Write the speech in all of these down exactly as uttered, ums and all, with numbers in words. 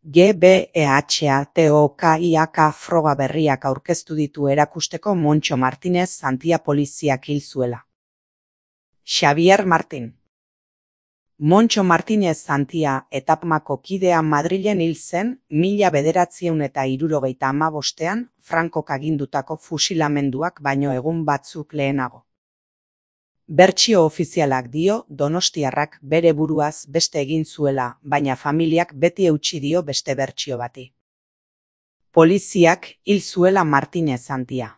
G B E H A T O K I A K froga berriak aurkeztu ditu erakusteko Montxo Martinez Santia poliziak hil zuela. Xavier Martin. Montxo Martinez Santia etapmako kidea Madrilen hil zen mila bederatziehun eta hirurogeita hamabostean Frankok agindutako fusilamenduak baino egun batzuk lehenago. Bertsio ofizialak dio donostiarrak bere buruaz beste egin zuela, baina familiak beti eutsi dio beste bertsio bati. Poliziak hil zuela Martinez Santia.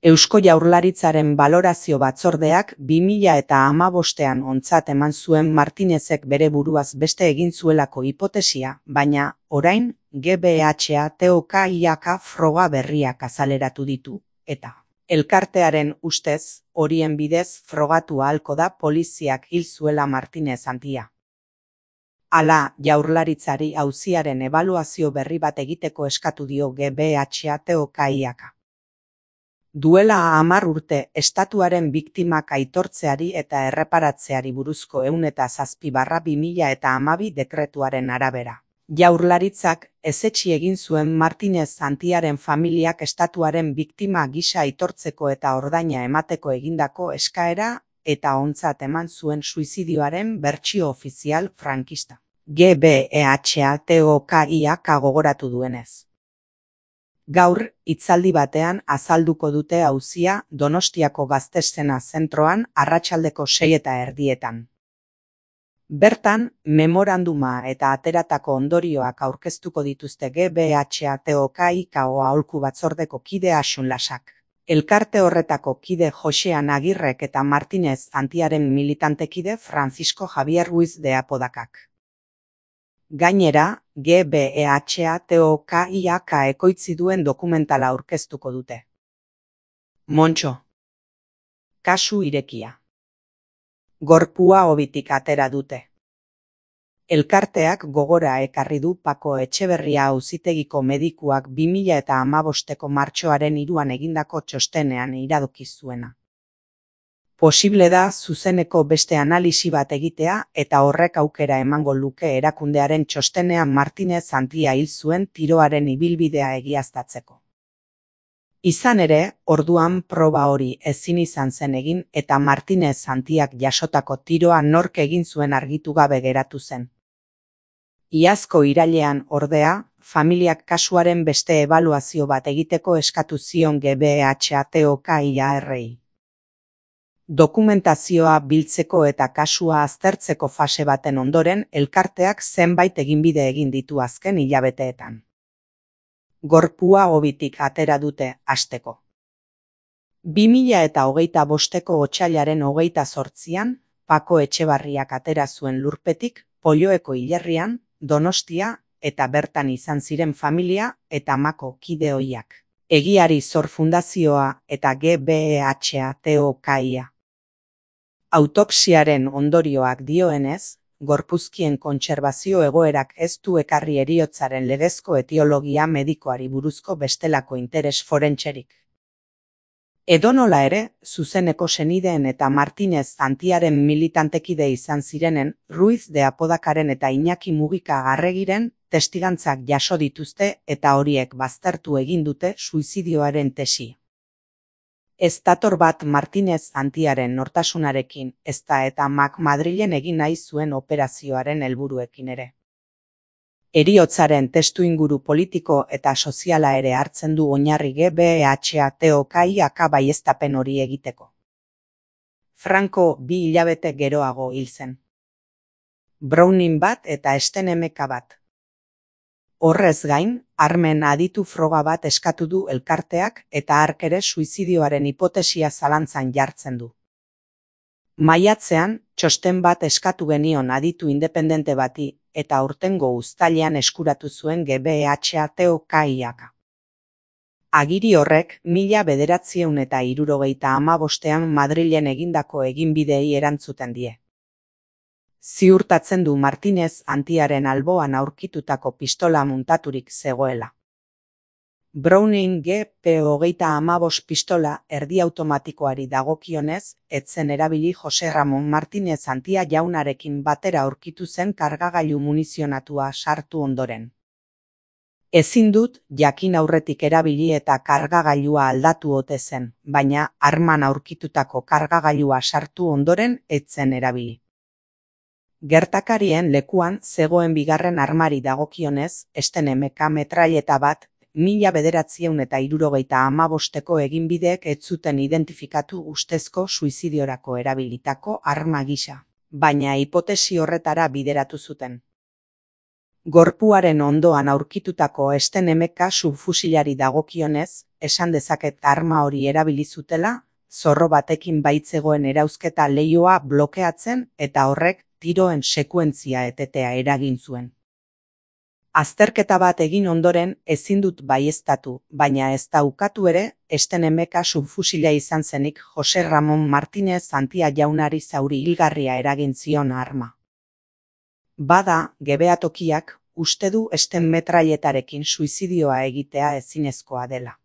Eusko Jaurlaritzaren balorazio batzordeak bi mila eta hamabostean ontzat eman zuen Martinezek bere buruaz beste egin zuelako hipotesia, baina, orain, G B H A T O K I A K froga berriak azaleratu ditu, eta elkartearen ustez, horien bidez frogatu ahalko da poliziak hil zuela Martinez Santia. Hala, Jaurlaritzari auziaren ebaluazio berri bat egiteko eskatu dio G B H A T O K I A K. Duela hamar urte estatuaren biktimak aitortzeari eta erreparatzeari buruzko ehun eta zazpi barra bi mila eta hamabi dekretuaren arabera. Jaurlaritzak ezetsi egin zuen Martinez Santiaren familiak estatuaren biktima gisa aitortzeko eta ordaina emateko egindako eskaera eta ontzat eman zuen suizidioaren bertsio ofizial frankista. G B E H A T O K I A K gogoratu duenez. Gaur, hitzaldi batean azalduko dute auzia Donostiako Gazteszena zentroan arratsaldeko sei eta erdietan. Bertan, memoranduma eta ateratako ondorioak aurkeztuko dituzte G B H A T O K I A K aholku batzordeko kide Asun Lasak. Elkarte horretako kide Josean Agirrek eta Martinez Santiaren militantekide Francisco Javier Ruiz de Apodakak. Gainera, G B E H A T O K I A K ekoitzi duen dokumentala aurkeztuko dute. Montxo. Kasu irekia. Gorpua hobitik atera dute. Elkarteak gogora ekarri du Pako Etxeberria auzitegiko medikuak bi mila eta hamabosteko martxoaren hiruan egindako txostenean iradoki zuena. Posible da zuzeneko beste analisi bat egitea eta horrek aukera emango luke erakundearen txostenean Martinez Santia hil zuen tiroaren ibilbidea egiaztatzeko. Izan ere, orduan proba hori ezin izan zen egin eta Martinez Santiak jasotako tiroa nork egin zuen argitu gabe geratu zen. Iazko irailean, ordea, familiak kasuaren beste ebaluazio bat egiteko eskatu zion G B H A T O K I A K. Dokumentazioa biltzeko eta kasua aztertzeko fase baten ondoren, elkarteak zenbait eginbide egin ditu azken hilabeteetan. Gorpua hobitik atera dute, hasteko. bi mila eta hogeita bosteko otsailaren hogeita zortzian, Pako Etxebarriak atera zuen lurpetik, Polloeko hilerrian, Donostia eta bertan izan ziren familia eta amako kide ohiak. Egiari Zor Fundazioa eta G B E H A T O K I A K. Autopsiaren ondorioak dioenez, gorpuzkien kontserbazio egoerak ez du ekarri heriotzaren legezko etiologia medikoari buruzko bestelako interes forentserik. Edonola ere, zuzeneko senideen eta Martinez Santiaren militantekide izan zirenen, Ruiz de Apodakaren eta Iñaki Mugika Arregiren testigantzak jaso dituzte eta horiek baztertu egin dute suizidioaren tesia. Ez dator bat Martinez Santiaren nortasunarekin, ezta eta Mac Madrilen egin nahi zuen operazioaren helburuekin ere. Heriotzaren testuinguru politiko eta soziala ere hartzen du oinarri G B E H A T O K I A K baieztapen hori egiteko. Franco bi hilabete geroago hil zen. Browning bat eta Estenemeka bat. Horrez gain, armen aditu froga bat eskatu du elkarteak eta hark ere suizidioaren hipotesia zalantzan jartzen du. Maiatzean, txosten bat eskatu genion aditu independente bati eta aurtengo uztailean eskuratu zuen G B E H A T O K I A K. Agiri horrek mila bederatziehun eta hirurogeita hamabostean Madrilen egindako eginbideei erantzuten die. Ziurtatzen du Martinez Santiaren alboan aurkitutako pistola muntaturik zegoela. Browning G P hogeita hamabost pistola erdi automatikoari dagokionez, ez zen erabili Jose Ramon Martinez Antia jaunarekin batera aurkitu zen kargagailu munizionatua sartu ondoren. Ezin dut jakin aurretik erabili eta kargagailua aldatu ote zen, baina arman aurkitutako kargagailua sartu ondoren ez zen erabili. Gertakarien lekuan zegoen bigarren armari dagokionez, Sten M K metraileta bat, mila bederatziehun eta hirurogeita hamabosteko eginbideek ez zuten identifikatu ustezko suizidiorako erabilitako arma gisa, baina hipotesi horretara bideratu zuten. Gorpuaren ondoan aurkitutako Sten M K subfusilari dagokionez, esan dezaket arma hori erabili zutela, zorro batekin baitzegoen erauzketa leihoa blokeatzen eta horrek tiroen sekuentzia etetea eragin zuen. Azterketa bat egin ondoren ezin dut baieztatu, baina ez da ukatu ere, Sten M K subfusila izan zenik Jose Ramon Martinez Antia jaunari zauri hilgarria eragin zion arma. Bada, gebeatokiak, uste du Sten metrailetarekin suizidioa egitea ezinezkoa dela.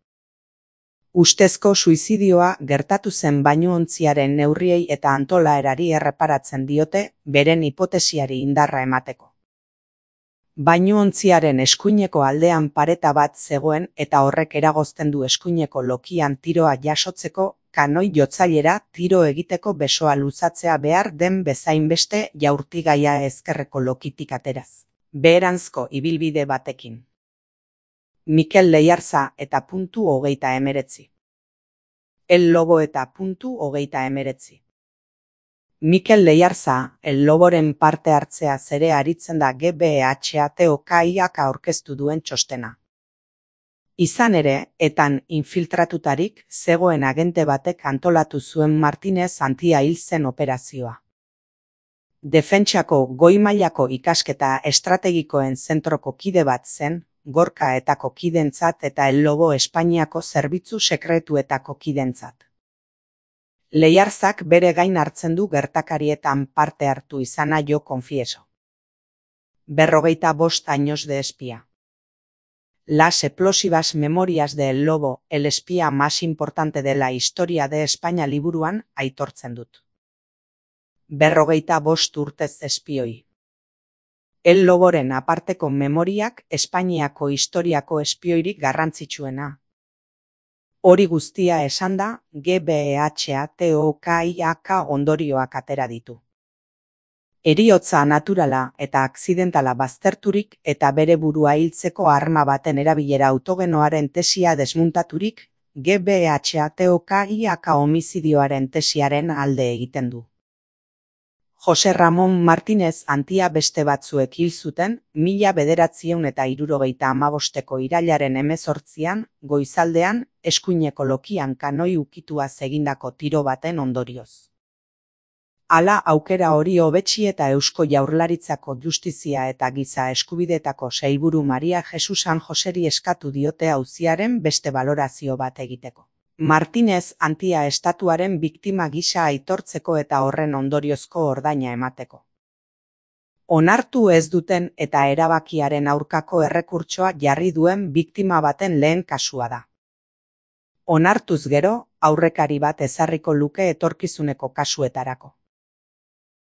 Ustezko suizidioa gertatu zen bainuontziaren neurriei eta antolaerari erreparatzen diote, beren hipotesiari indarra emateko. Bainuontziaren eskuineko aldean pareta bat zegoen eta horrek eragozten du eskuineko lokian tiroa jasotzeko, kanoi jotzailera tiro egiteko besoa luzatzea behar den bezainbeste jaurtigaia ezkerreko lokitik ateraz. Beheranzko ibilbide batekin. Mikel Leiarza eta puntu hogeita emeretzi. El Lobo eta puntu hogeita emeretzi. Mikel Leiarza, El Loboren parte hartzea zere aritzen da G B H A T O K iak aurkeztu duen txostena. Izan ere, etan infiltratutarik zegoen agente batek antolatu zuen Martinez Antia hil zen operazioa. Defentsako goi-mailako ikasketa estrategikoen zentroko kide bat zen, Gorka etako kidentzat eta El Lobo Espainiako zerbitzu sekretuetako kidentzat. Leiarzak bere gain hartzen du gertakarietan parte hartu izana jo konfieso. Berrogeita bost años de espía. Las explosivas memorias de El Lobo, el espía más importante de la historia de España liburuan aitortzen dut. Berrogeita bost urtez espioi. El Loboren aparteko memoriak Espainiako historiako espioirik garrantzitsuena. Hori guztia esanda, G B H A T O K iak ondorioak atera ditu. Heriotza naturala eta akzidentala bazterturik eta bere burua hiltzeko arma baten erabilera autogenoaren tesia desmuntaturik, G B H A T O K iak homizidioaren tesiaren alde egiten du. Jose Ramon Martinez Antia beste batzuek hil zuten, mila bederatziehun eta hirurogeita hamabosteko irailaren hemezortzian, goizaldean, eskuineko lokian kanoi ukituaz egindako tiro baten ondorioz. Hala aukera hori hobetsi eta Eusko Jaurlaritzako Justizia eta Giza Eskubideetako sailburu Maria Jesus San Joseri eskatu diote auziaren beste balorazio bat egiteko. Martinez Antia estatuaren biktima gisa aitortzeko eta horren ondoriozko ordaina emateko. Onartu ez duten eta erabakiaren aurkako errekurtsoa jarri duen biktima baten lehen kasua da. Onartuz gero, aurrekari bat ezarriko luke etorkizuneko kasuetarako.